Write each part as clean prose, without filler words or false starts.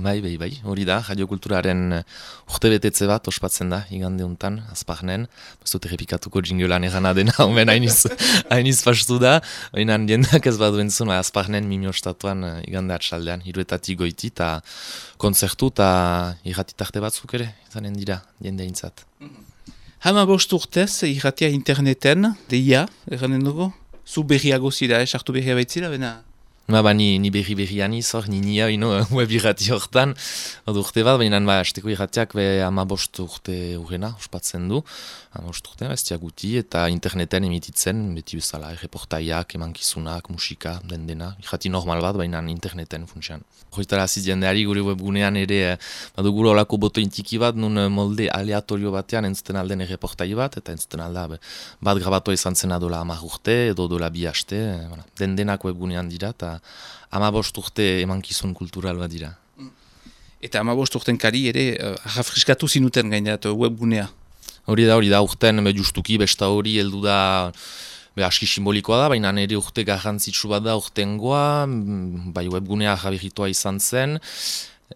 Bai, hori da, radiokulturaren urtebetetze bat ospatzen da, igande untan, Azparnen. Ez dut errepikatuko jingolan egana dena, omen hainiz pastu da. Baina jendak ez badu entzun, Azparnen mimiostatuan igande atxaldean, hiruetatik goiti, eta kontzertu eta irratitarte batzuk ere, izanen dira, jende eintzat. 15 urtez, irratia interneten, deia, erranen dugu? Zu berriago zira, sartu berria baitzira, bena? Ni berri-berrian izor, nia web irrati hortan, urte bat, baina azteko irratiak 15 urte urrena, ospatzen du, 15 urte, bestia guti, eta interneten emititzen, beti bezala, reportaiak, emankizunak, musika, dena, irrati normal bat, baina interneten funtsean. Horretara jendeari gure webgunean ere, baduguro olako boto intiki bat, nun molde aleatorio batean entzuten alden reportai bat, eta entzuten alda bat grabatoa izan zena dola 10 urte, edo dola 2 aste, denak webgunean dira, eta 15 urte emankizun kultural bat dira. Eta 15 urten kari ere, rafriskatu zinuten gainerat webgunea? Hori da, urten justuki besta hori heldu da, aski simbolikoa da, baina nire urte garrantzitsu bat da urtengoa, bai webgunea jabiritoa izan zen,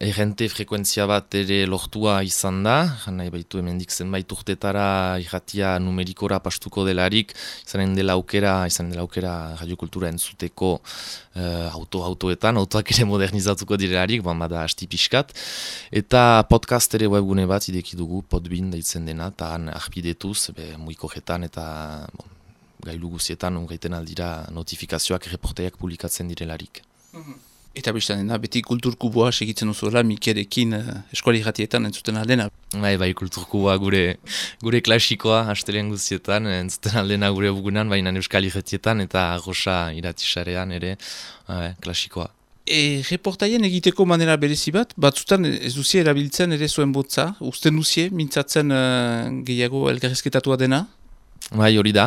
errente frekuentzia bat ere lortua izan da, nahi baitu hemendik zenbait urtetara irratia numerikora pastuko delarik, izanen dela aukera radiokultura entzuteko autoetan, autoak ere modernizatuko direlarik, bada asti pixkat, eta podcast ere webgune bat ideki dugu, Podbean deitzen dena, eta han arpidetuz, muikojetan eta gailu guzietan ungaiten aldira notifikazioak reportaiak publikatzen direlarik. Eta bestan dena, beti kulturkuboa segitzen duzuela Mikerekin eskuali irratietan entzuten aldena. Bai, kulturkuboa gure klasikoa astelen guztietan, entzuten aldena gure bugunan, baina euskal irratietan eta Rosa iratisarean ere klasikoa. Reportaien egiteko manera berezi bat, batzutan ez duzie erabiltzen ere zuen botza, usten duzie, mintzatzen gehiago elgarrizketatua dena? Bai, hori da.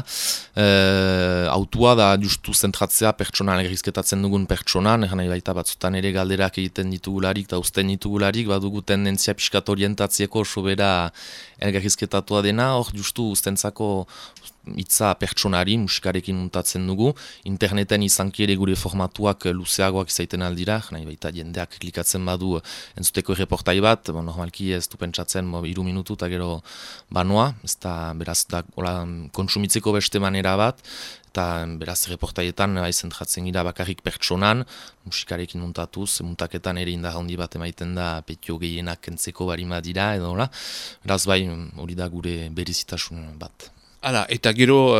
Autua da justu zentratzea pertsonan elgarrizketatzen dugun pertsonan, nahi baita batzutan ere galderak egiten ditugularik eta usten ditugularik, badugu tendentzia pixkat orientatzieko sobera elgarrizketatua dena, hor justu ustentzako hitza pertsonari musikarekin muntatzen dugu, interneten izanki ere gure formatuak luzeagoak izaiten aldira, nahi baita jendeak klikatzen badu entzuteko reportai bat, normalki ez du pentsatzen 3 minutu eta gero banoa, ez da beraz da kontsumitzeko beste manera bat, eta beraz reportaietan zentratzen gira bakarrik pertsonan, musikarekin muntatuz, muntaketan ere indar handi bat emaiten da petio gehienak kentzeko barima dira, edo beraz bai hori da gure berezitasun bat. Hala, eta gero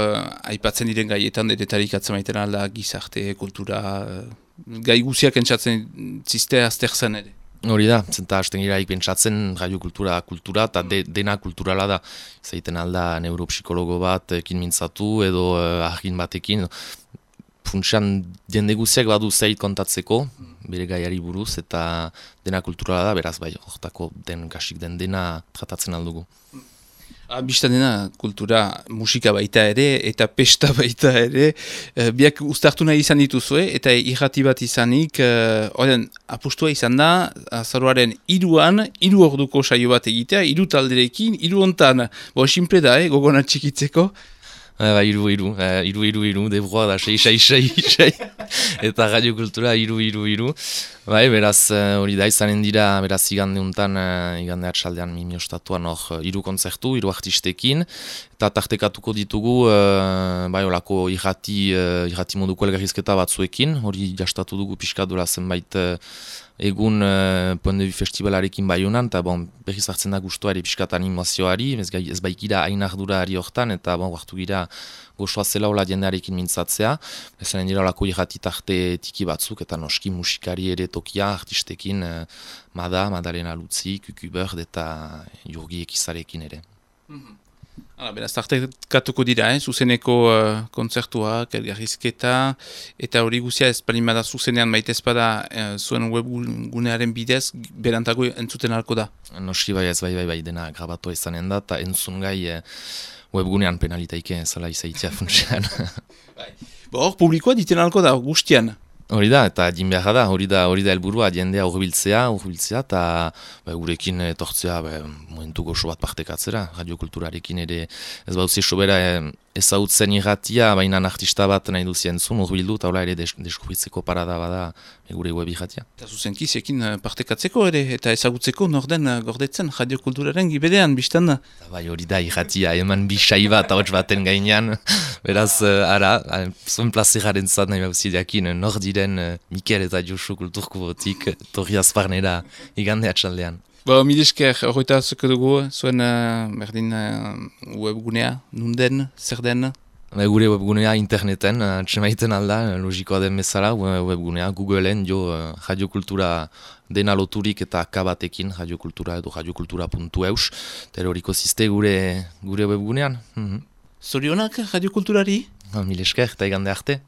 aipatzen diren gaietan denetarik atzemaiten alda gizarte, kultura, gai guziak entzatzen ziste azter zen ere. Hori da, zenta hasten giraik pentsatzen radiokultura eta dena kulturala da. Zaiten alda neuropsikologo bat ekin mintzatu edo argin batekin. Funtsean jende guziak badu zeit kontatzeko, bere gaiari buruz, eta dena kulturala da, beraz bai, hortako kasik dena tratatzen aldugu. Bistan dena kultura musika baita ere eta pesta baita ere, biak uztartu nahi izan dituzue eta irrati bat izanik, apustua izan da, azaroaren 3 orduko saio bat egitea, 3 talderekin, 3 hontan, simple da, gogona txikitzeko. Iru, debroa da, 6, eta radiokultura 3. Bai, beraz, hori da izanen dira, beraz, igande untan, igande atxaldean mimiostatuan hor 3 kontzertu, 3 artistekin, eta tartekatuko ditugu, bai, olako irrati moduko elgarrizketa batzuekin, hori jastatu dugu pixka dola zenbait egun Point de Vue Festivalarekin Baionan, eta berriz hartzen da guztua ere pixkat animazioari, ez baikira hain ardurari hortan, eta hartu gira gozoa zela hola jendearekin mintzatzea, ezanen dira olako irrati tarte tiki batzuk, eta noski musikari ere tokia artistekin Madalena Lutzi, Kuku Bird eta Jurgi Ekizarekin ere. Beraz, tartekatuko dira, zuzeneko kontzertuak, elgarrizketa, eta hori guzia ez palimada zuzenean baita ezpada zuen webgunearen bidez, berantago entzuten halko da. Noski bai, dena grabatoa izanen da, eta entzun gai webgunean penalitaike zela izaitzea funtsean. Hor, publikoa diten halko da, guztian. Hori da, eta din beharra da, hori da helburua, jendea urbiltzea, eta gurekin etortzea momentu goxo bat partekatzera, radiokulturarekin ere ez baduzi sobera ezautzen irratia, baina artista bat nahi duzien zuen, urbildu, eta hola ere deskubritzeko parada bada gure web irratia. Eta zuzenki zekin partekatzeko ere, eta ezagutzeko norden gordetzen radiokulturaren gibedean, biztan da. Bai, hori da irratia, eman bisai bat ahots baten gainean, beraz, zuen plazeraren zat nahi bauzideakin, nor diren Mikel eta Josu kulturko botik, torri azparnera igande atxaldean. Milesker, horreta zuko dugu, zuen berdin webgunea, nunden, zer den? Gure webgunea interneten, txemaiten alda, logikoa den bezala, webgunea, Googleen radiokultura dena loturik eta akabatekin, radiokultura edo radiokultura.eus, teroriko ziste gure webgunean. Zorionak radiokulturari? Milesker, eta igande arte.